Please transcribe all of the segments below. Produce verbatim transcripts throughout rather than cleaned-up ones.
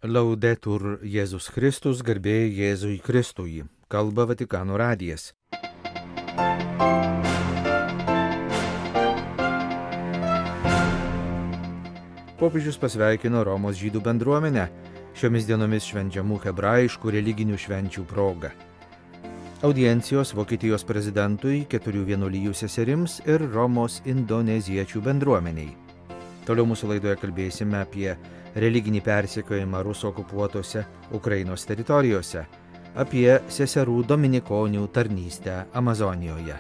Laudetur Jėzus Kristus, garbė Jėzui Kristui, kalba Vatikano radijas. Popiežius pasveikino Romos žydų bendruomenę šiomis dienomis švenčiamų hebrajiškų religinių švenčių proga. Audiencijos Vokietijos prezidentui, keturių vienuolijų seserims ir Romos indoneziečių bendruomeniai. Toliau mūsų laidoje kalbėsime apie religinį persekiojimą Rusų okupuotose Ukrainos teritorijose, apie seserų dominikonių tarnystę Amazonijoje.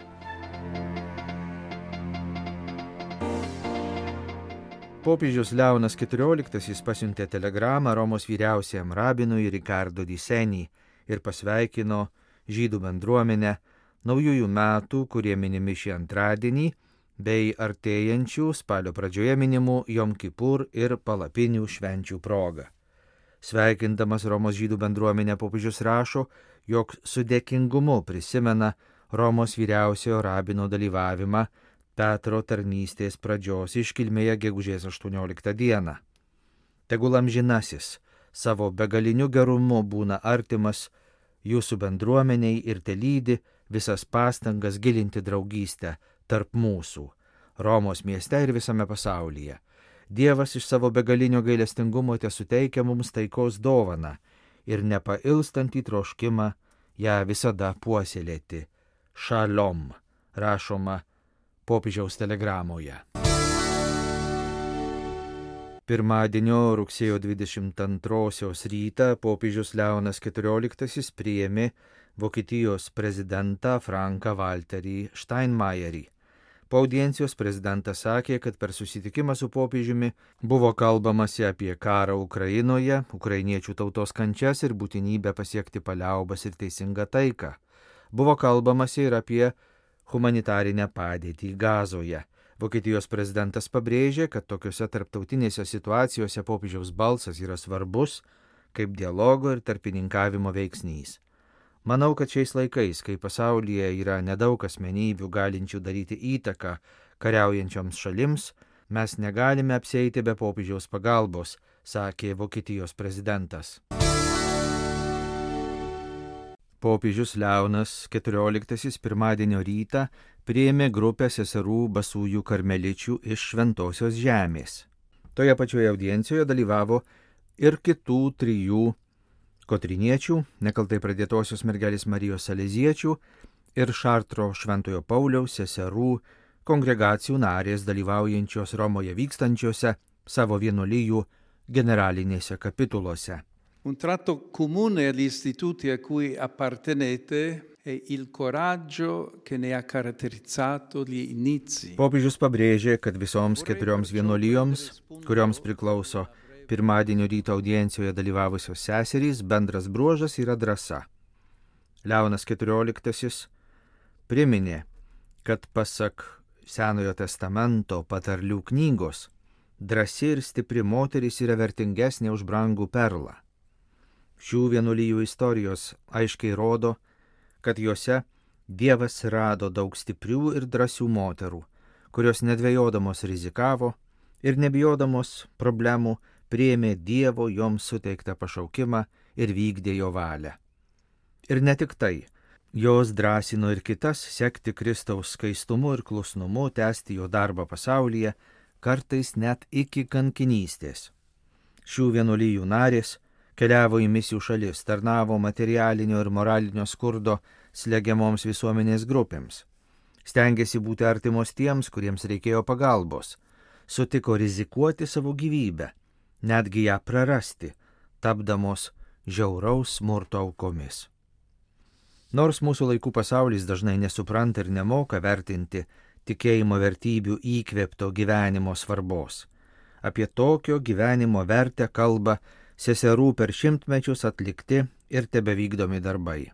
Popiežius Leonas keturioliktasis pasiuntė telegramą Romos vyriausiajam rabinui Ricardo di Seni ir pasveikino žydų bendruomenę naujųjų metų, kurie minimi šį antradienį, bei artėjančių spalio pradžioje minimų Jom Kipur ir palapinių švenčių proga. Sveikindamas Romos žydų bendruomenę, popiežius rašo, jog su dėkingumu prisimena Romos vyriausiojo rabino dalyvavimą Petro tarnystės pradžios iškilmėje gegužės aštuonioliktą dieną. Tegul amžinasis savo begaliniu gerumu būna artimas jūsų bendruomeniai ir telydi visas pastangas gilinti draugystę tarp mūsų, Romos mieste ir visame pasaulyje. Dievas iš savo begalinio gailestingumo tesuteikia mums taikos dovaną ir nepailstantį troškimą ją visada puoselėti. Šalom, rašoma popiežiaus telegramoje. Pirmadienio rugsėjo dvidešimt antrosios rytą popiežius Leonas keturioliktasis priėmė Vokietijos prezidentą Franką Walterį Steinmeierį. Po audiencijos prezidentas sakė, kad per susitikimą su popiežiumi buvo kalbamasi apie karą Ukrainoje, ukrainiečių tautos kančias ir būtinybę pasiekti paliaubas ir teisingą taiką. Buvo kalbamasi ir apie humanitarinę padėtį Gazoje. Vokietijos prezidentas pabrėžė, kad tokiuose tarptautinėse situacijose popiežiaus balsas yra svarbus kaip dialogo ir tarpininkavimo veiksnys. Manau, kad šiais laikais, kai pasaulyje yra nedaug asmenybių galinčių daryti įtaką kariaujančioms šalims, mes negalime apsieiti be popiežiaus pagalbos, sakė Vokietijos prezidentas. Popiežius Leonas keturioliktasis pirmadienio rytą priėmė grupę seserų basųjų karmeličių iš Šventosios žemės. Toje pačioje audiencijoje dalyvavo ir kitų trijų kotriniečių, nekaltai pradėtosios mergelės Marijos saleziečių ir Šartro Šventojo Pauliaus seserų kongregacijų narės dalyvaujančios Romoje vykstančiose savo vienuolijų generalinėse kapituluose. Un tratto comune agli istituti a cui appartenete è il coraggio che ne ha caratterizzato gli inizi. Popiežius pabrėžė, kad visoms keturioms vienuolijoms, kurioms priklauso pirmadienio ryto audiencijoje dalyvavusios seserys, bendras bruožas yra drąsa. Leonas keturioliktasis priminė, kad pasak Senojo testamento patarlių knygos, drąsi ir stipri moteris yra vertingesnė už brangų perlą. Šių vienuolijų istorijos aiškiai rodo, kad juose Dievas rado daug stiprių ir drąsių moterų, kurios nedvejodamos rizikavo ir nebijodamos problemų priėmė Dievo joms suteiktą pašaukimą ir vykdė jo valią. Ir ne tik tai, jos drąsino ir kitas sekti Kristaus skaistumu ir klusnumu, tęsti jo darbą pasaulyje, kartais net iki kankinystės. Šių vienuolijų narės keliavo į misijų šalis, tarnavo materialinio ir moralinio skurdo slegiamoms visuomenės grupėms. Stengėsi būti artimos tiems, kuriems reikėjo pagalbos, sutiko rizikuoti savo gyvybę, netgi ją prarasti, tapdamos žiauraus smurto aukomis. Nors mūsų laikų pasaulis dažnai nesupranta ir nemoka vertinti tikėjimo vertybių įkvėpto gyvenimo svarbos, apie tokio gyvenimo vertę kalba seserų per šimtmečius atlikti ir tebevykdomi darbai.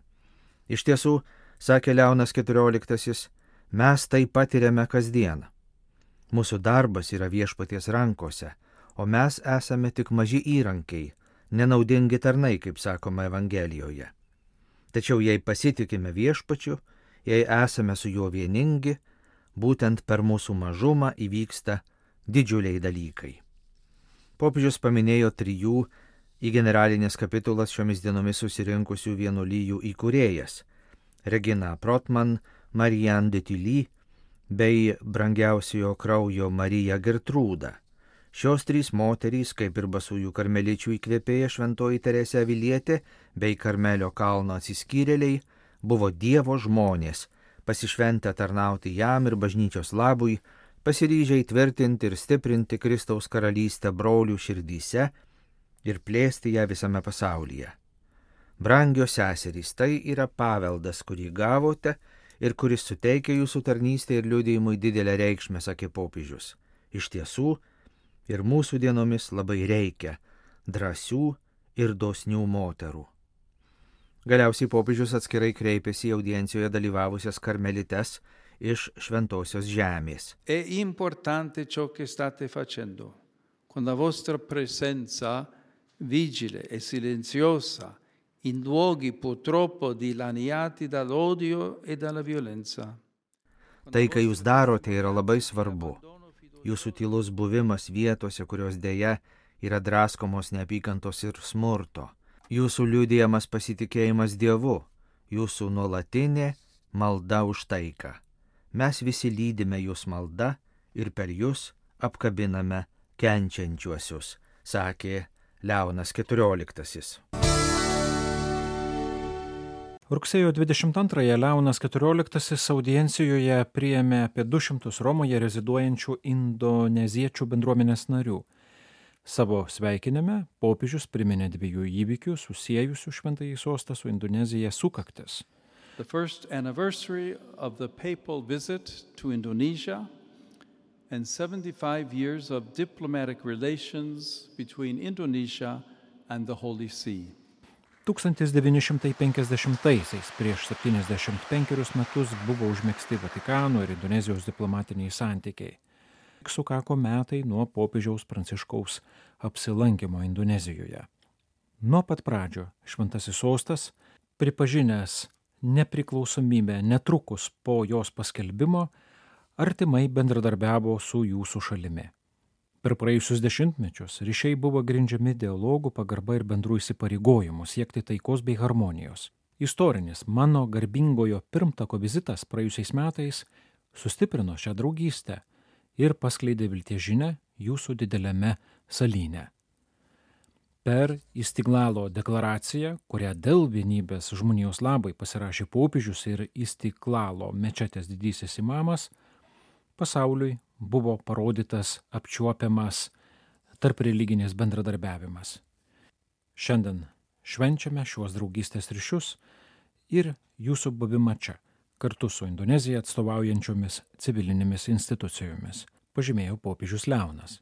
Iš tiesų, sakė Leonas keturioliktasis, mes tai patiriame kasdien. Mūsų darbas yra Viešpaties rankose, o mes esame tik maži įrankiai, nenaudingi tarnai, kaip sakoma Evangelijoje. Tačiau jei pasitikime Viešpačiu, jei esame su juo vieningi, būtent per mūsų mažumą įvyksta didžiuliai dalykai. Popiežius paminėjo trijų į generalinės kapitulas šiomis dienomis susirinkusių vienuolijų įkūrėjas Regina Protman, Marianne de Tilly bei brangiausiojo kraujo Marija Gertrūda. Šios trys moterys, kaip ir basųjų karmeličių įkvėpėja šventoji Teresė Avilietė bei Karmelio kalno atsiskyrėliai, buvo Dievo žmonės, pasišventę tarnauti jam ir bažnyčios labui, pasiryžę įtvirtinti ir stiprinti Kristaus karalystę brolių širdyse ir plėsti ją visame pasaulyje. Brangios seserys, tai yra paveldas, kurį gavote ir kuris suteikia jūsų tarnystė ir liudijimui didelę reikšmę, sakė popiežius. Iš tiesų, ir mūsų dienomis labai reikia drąsių ir dosnių moterų. Galiausiai popiežius atskirai kreipėsi į audiencijoje dalyvavusias karmelites iš šventosios žemės. È importante ciò che state facendo, con la vostra presenza vigile e silenziosa in luoghi purtroppo dilaniati dall'odio e dalla violenza. Tai, ką jūs darote, yra labai svarbu. Jūsų tylus buvimas vietose, kurios dėja yra draskomos neapykantos ir smurto. Jūsų liudijamas pasitikėjimas Dievu, jūsų nuolatinė malda už taiką. Mes visi lydime jūs malda ir per jūs apkabiname kenčiančiuosius, sakė Leonas keturioliktasis. Rugsėjo dvidešimt antrąją Leonas keturioliktasis audiencijoje priėmė apie du šimtus Romoje reziduojančių indoneziečių bendruomenės narių. Savo sveikinime popiežius priminė dviejų įvykių susiejusių šventąjį sostą su Indonezija sukaktis. The first anniversary of the papal visit to Indonesia and seventy-five years of diplomatic relations between Indonesia and the Holy See. tūkstantis devyni šimtai penkiasdešimtaisiais prieš septyniasdešimt penkerius metus buvo užmegzti Vatikano ir Indonezijos diplomatiniai santykiai. Sukako metai nuo popiežiaus Pranciškaus apsilankimo Indonezijoje. Nuo pat pradžio šventasis sostas, pripažinęs nepriklausomybę netrukus po jos paskelbimo, artimai bendradarbiavo su jūsų šalimi. Per praėjusius dešimtmečius ryšiai buvo grindžiami dialogų, pagarba ir bendrų įsipareigojimų siekti taikos bei harmonijos. Istorinis mano garbingojo pirmtako vizitas praėjusiais metais sustiprino šią draugystę ir paskleidė vilties žinią jūsų dideliame salyne. Per Istiglalo deklaraciją, kurią dėl vienybės žmonijos labai pasirašė popiežius ir Istiglalo mečetės didysis imamas, pasauliui buvo parodytas apčiuopiamas tarp religinės bendradarbiavimas. Šiandien švenčiame šiuos draugystės ryšius ir jūsų buvimą čia, kartu su Indoneziją atstovaujančiomis civilinėmis institucijomis, pažymėjo popiežius Leonas.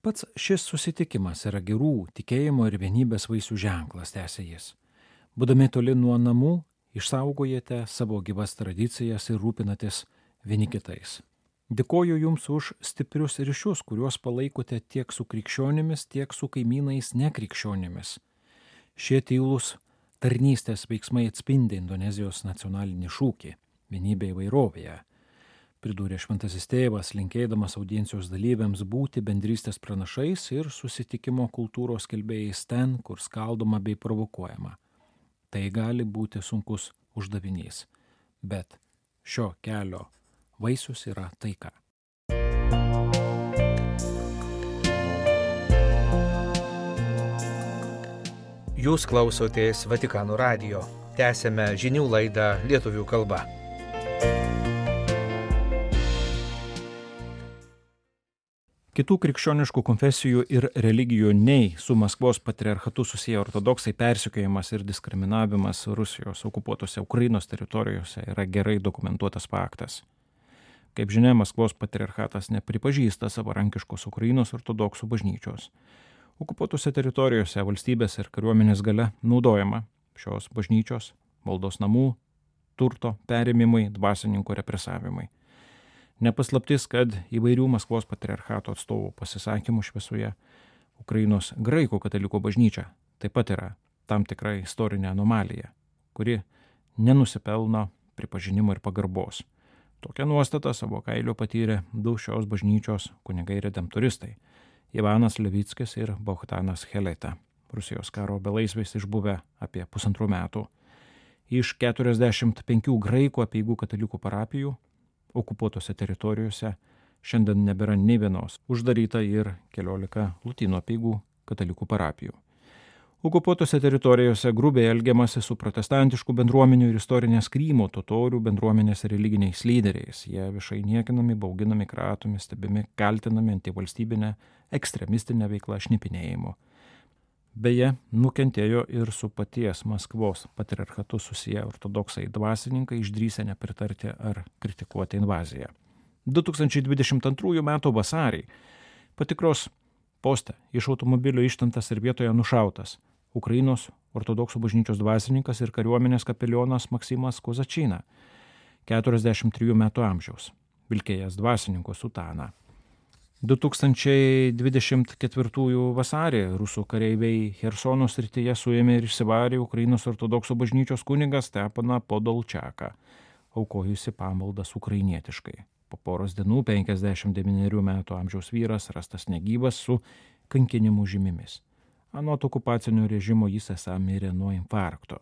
Pats šis susitikimas yra gerų tikėjimo ir vienybės vaisių ženklas, tęsė jis. Būdami toli nuo namų, išsaugojate savo gyvas tradicijas ir rūpinatės vieni kitais. Dėkoju Jums už stiprius ryšius, kuriuos palaikote tiek su krikščionimis, tiek su kaimynais nekrikščionimis. Šie tylūs tarnystės veiksmai atspindi Indonezijos nacionalinį šūkį – vienybė įvairovėje. Pridūrė šventasis tėvas, linkėdamas audiencijos dalyviams būti bendrystės pranašais ir susitikimo kultūros skelbėjais ten, kur skaldoma bei provokuojama. Tai gali būti sunkus uždavinys, bet šio kelio vaisius yra taika. Jūs klausotės Vatikano radijo. Tęsėme žinių laidą lietuvių kalba. Kitų krikščioniškų konfesijų ir religijų nei su Maskvos patriarchatu susiję ortodoksai persekiojimas ir diskriminavimas Rusijos okupuotose Ukrainos teritorijose yra gerai dokumentuotas faktas. Kaip žinia, Maskvos patriarchatas nepripažįsta savarankiškos Ukrainos ortodoksų bažnyčios. Okupuotose teritorijose valstybės ir kariuomenės galia naudojama šios bažnyčios, maldos namų, turto perėmimai, dvasininkų represavimai. Nepaslaptis, kad įvairių Maskvos patriarchato atstovų pasisakymų šviesoje Ukrainos graikų katalikų bažnyčia taip pat yra tam tikra istorinė anomalija, kuri nenusipelno pripažinimo ir pagarbos. Tokią nuostatą savo kailiu patyrė du šios bažnyčios kunigai redemptoristai Ivanas Levickis ir Bohdanas Heleta. Rusijos karo belaisviais išbuvę apie pusantrų metų. Iš keturiasdešimt penkių graikų apeigų katalikų parapijų okupuotose teritorijose šiandien nebėra nei vienos. Uždaryta ir keliolika lotynų apeigų katalikų parapijų. Okupuotose teritorijose grubiai elgiamasi su protestantiškų bendruomenių ir istorinės Krymo totorių bendruomenės religiniais lyderiais. Jie viešai niekinami, bauginami, kratomi, stebimi, kaltinami antivalstybinę, ekstremistinę veiklą, šnipinėjimu. Beje, nukentėjo ir su paties Maskvos patriarchatu susiję ortodoksai dvasininkai išdrįsę nepritarti ar kritikuoti invaziją. du tūkstančiai dvidešimt antrųjų metų vasarį patikros poste iš automobilio ištemtas ir vietoje nušautas Ukrainos ortodoksų bažnyčios dvasininkas ir kariuomenės kapelionas Maksimas Kozačina, keturiasdešimt trijų metų amžiaus, vilkėjęs dvasininko sutaną. du tūkstančiai dvidešimt ketvirtųjų vasarį rusų kareiviai Chersono srityje suėmė ir išsivarė Ukrainos ortodoksų bažnyčios kunigą Stepaną Podolčiaką, aukojusi pamaldas ukrainietiškai. Po poros dienų penkiasdešimt devynerių metų amžiaus vyras rastas negyvas su kankinimų žymimis. Anot okupacinio režimo jis esą mirė nuo infarkto.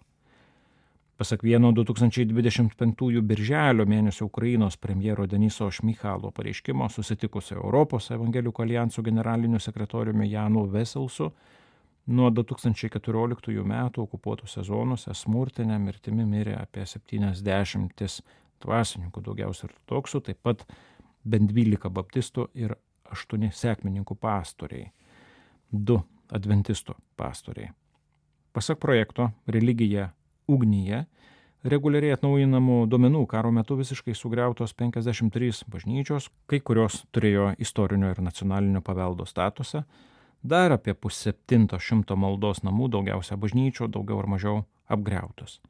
Pasak vieno du tūkstančiai dvidešimt penktųjų birželio mėnesio Ukrainos premjero Deniso Šmyhalo pareiškimo susitikusio Europos evangelikų alijanso generaliniu sekretoriumi Janu Veselsu, nuo du tūkstančiai keturioliktųjų metų okupuotose zonose smurtinę mirtimi mirė apie septyniasdešimt dvasininkų, daugiausia ortodoksų, taip pat bent dvylika baptistų ir aštuoni sekmininkų pastoriai, du adventistų pastoriai. Pasak projekto Religija ugnyje, reguliariai atnaujinamų duomenų karo metu visiškai sugriautos penkiasdešimt trys bažnyčios, kai kurios turėjo istorinio ir nacionalinio paveldo statusą, dar apie pusseptinto šimto maldos namų, daugiausia bažnyčių, daugiau ar mažiau apgriautos.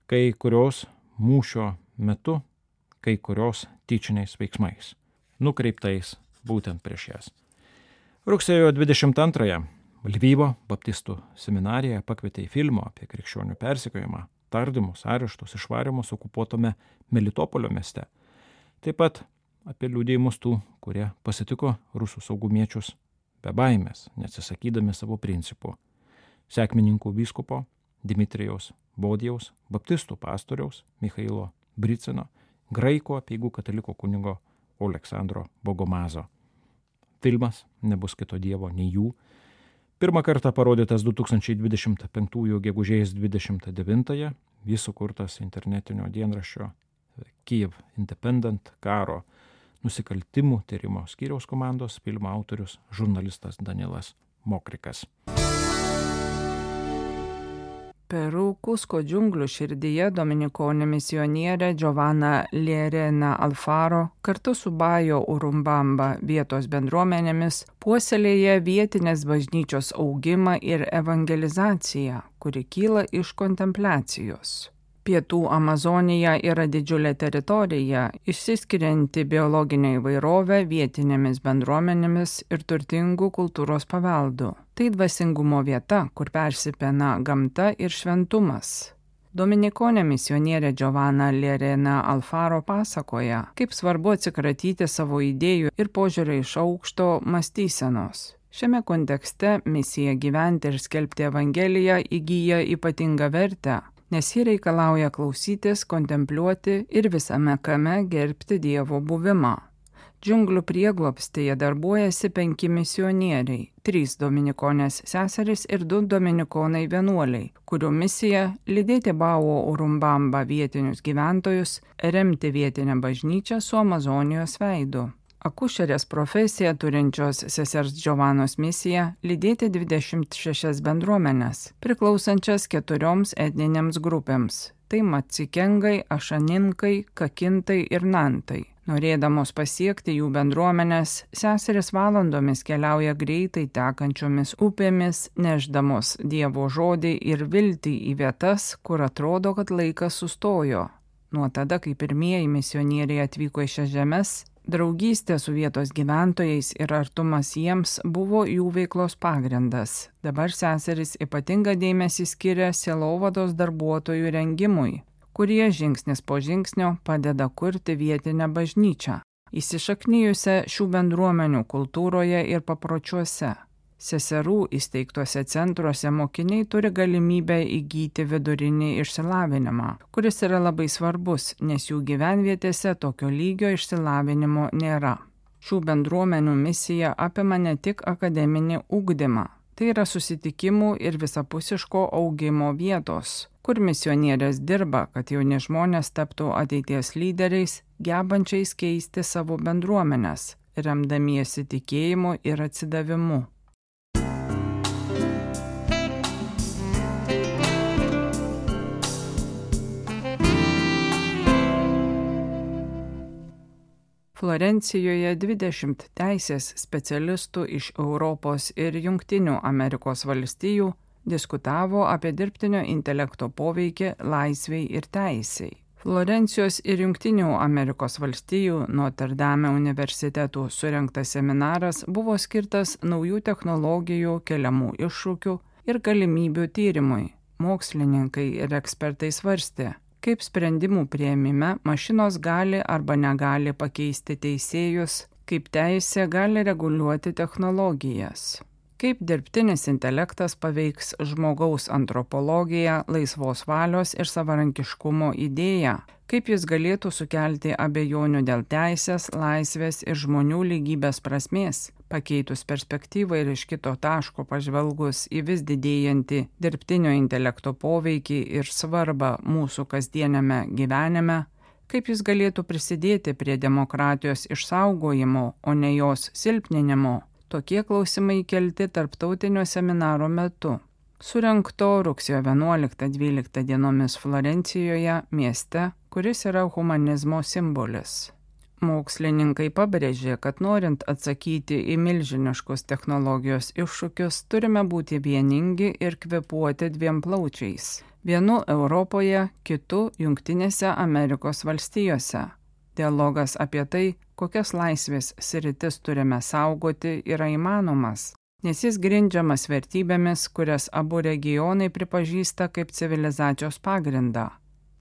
Kai kurios mūšio metu, kai kurios tyčiniais veiksmais, nukreiptais būtent prieš jas. Rugsėjo dvidešimt antrąją Lvyvo baptistų seminarija pakvietė į filmo apie krikščionių persekiojimą, tardymus, areštus, išvarimus okupuotame Melitopolio mieste. Taip pat apie liudijimus tų, kurie pasitiko rusų saugumiečius be baimės, neatsisakydami savo principų. Sekmininkų vyskupo Dimitrijaus Bodijaus, baptistų pastoriaus Michailo Bricino, graikų apeigų kataliko kunigo Oleksandro Bogomazo. Filmas Nebus kito dievo nei jų. Pirmą kartą parodytas du tūkstančiai dvidešimt penktųjų gegužės dvidešimt devintąją, jis sukurtas internetinio dienraščio Kyiv Independent karo nusikaltimų tyrimo skyriaus komandos, filmo autorius žurnalistas Danilas Mokrikas. Peru Kusko džiunglių širdyje dominikonė misionierė Giovanna Lerena Alfaro kartu su Bajo Urumbamba vietos bendruomenėmis puoselėja vietinės bažnyčios augimą ir evangelizaciją, kuri kyla iš kontempliacijos. Pietų Amazonija yra didžiulė teritorija, išsiskirianti biologinę įvairovę vietinėmis bendruomenėmis ir turtingų kultūros paveldu. Tai dvasingumo vieta, kur persipina gamta ir šventumas. Dominikonė misionierė Giovanna Lerena Alfaro pasakoja, kaip svarbu atsikratyti savo idėjų ir požiūrio iš aukšto mąstysenos. Šiame kontekste misija gyventi ir skelbti Evangeliją įgyja ypatingą vertę, nes ji reikalauja klausytis, kontempliuoti ir visame kame gerbti Dievo buvimą. Džiunglių prieglobstyje darbuojasi penki misionieriai, trys dominikonės seserys ir du dominikonai vienuoliai, kurių misija lydėti Bao Urumbamba vietinius gyventojus, remti vietinę bažnyčią su Amazonijos veidu. Akušerės profesiją turinčios sesers Giovannos misija lydėti dvidešimt šešias bendruomenes, priklausančias keturioms etninėms grupėms. Tai macikengai, ašaninkai, kakintai ir nantai. Norėdamos pasiekti jų bendruomenės, seseris valandomis keliauja greitai tekančiomis upėmis, nešdamos Dievo žodį ir viltį į vietas, kur atrodo, kad laikas sustojo. Nuo tada, kai pirmieji misionieriai atvyko į šias žemes, draugystė su vietos gyventojais ir artumas jiems buvo jų veiklos pagrindas. Dabar seseris ypatingą dėmesį skiria sielovados darbuotojų rengimui, kurie žingsnis po žingsnio padeda kurti vietinę bažnyčią. įsišaknijusią šių bendruomenių kultūroje ir papročiuose. Seserų įsteigtuose centruose mokiniai turi galimybę įgyti vidurinį išsilavinimą, kuris yra labai svarbus, nes jų gyvenvietėse tokio lygio išsilavinimo nėra. Šių bendruomenių misija apima ne tik akademinį ugdymą, tai yra susitikimų ir visapusiško augimo vietos, kur misionierės dirba, kad jauni žmonės taptų ateities lyderiais, gebančiais keisti savo bendruomenes, remdamiesi tikėjimu ir atsidavimu. Florencijoje dvidešimt teisės specialistų iš Europos ir Jungtinių Amerikos valstijų diskutavo apie dirbtinio intelekto poveikį laisvei ir teisei. Florencijos ir Jungtinių Amerikos valstijų Notre Dame universitetų surengtas seminaras buvo skirtas naujų technologijų keliamų iššūkių ir galimybių tyrimui. Mokslininkai ir ekspertai svarstė, kaip sprendimų priėmime mašinos gali arba negali pakeisti teisėjus, kaip teisė gali reguliuoti technologijas, kaip dirbtinis intelektas paveiks žmogaus antropologiją, laisvos valios ir savarankiškumo idėją, kaip jis galėtų sukelti abejonių dėl teisės, laisvės ir žmonių lygybės prasmės, pakeitus perspektyvą ir iš kito taško pažvelgus į vis didėjantį dirbtinio intelekto poveikį ir svarbą mūsų kasdieniame gyvenime, kaip jis galėtų prisidėti prie demokratijos išsaugojimo, o ne jos silpninimo. Tokie klausimai kelti tarptautinio seminaro metu, surengto rugsėjo vienuoliktą dvyliktą dienomis Florencijoje, mieste, kuris yra humanizmo simbolis. Mokslininkai pabrėžė, kad norint atsakyti į milžiniškus technologijos iššūkius, turime būti vieningi ir kvėpuoti dviem plaučiais. Vienu Europoje, kitu Jungtinėse Amerikos valstijose. Dialogas apie tai, kokias laisvės sritis turime saugoti, yra įmanomas, nes jis grindžiamas vertybėmis, kurias abu regionai pripažįsta kaip civilizacijos pagrindą.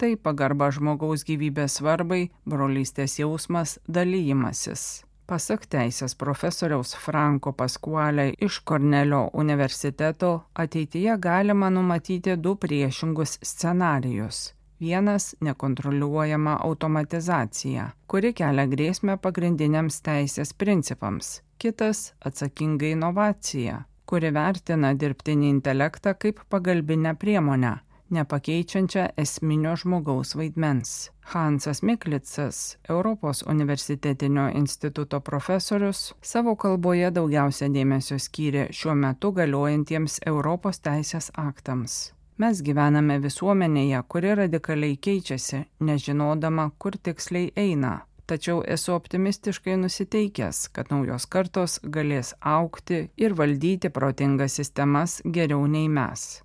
Tai pagarba žmogaus gyvybės svarbai, brolystės jausmas, dalyjimasis. Pasak teisės profesoriaus Franco Pasquale iš Kornelio universiteto, ateityje galima numatyti du priešingus scenarijus. Vienas – nekontroliuojama automatizacija, kuri kelia grėsmę pagrindiniams teisės principams. Kitas – atsakinga inovacija, kuri vertina dirbtinį intelektą kaip pagalbinę priemonę, nepakeičiančią esminio žmogaus vaidmens. Hansas Miklicas, Europos universitetinio instituto profesorius, savo kalboje daugiausia dėmesio skyrė šiuo metu galiojantiems Europos teisės aktams. Mes gyvename visuomenėje, kuri radikaliai keičiasi, nežinodama, kur tiksliai eina. Tačiau esu optimistiškai nusiteikęs, kad naujos kartos galės augti ir valdyti protingas sistemas geriau nei mes.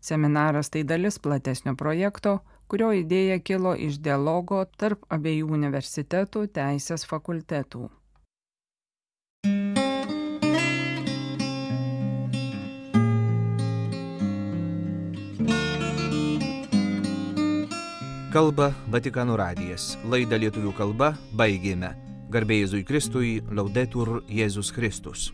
Seminaras tai dalis platesnio projekto, kurio idėja kilo iš dialogo tarp abiejų universitetų teisės fakultetų. Kalba Vatikano radijas. Laidą lietuvių kalba baigėme. Garbė Jėzui Kristui, Laudetur Jėzus Kristus.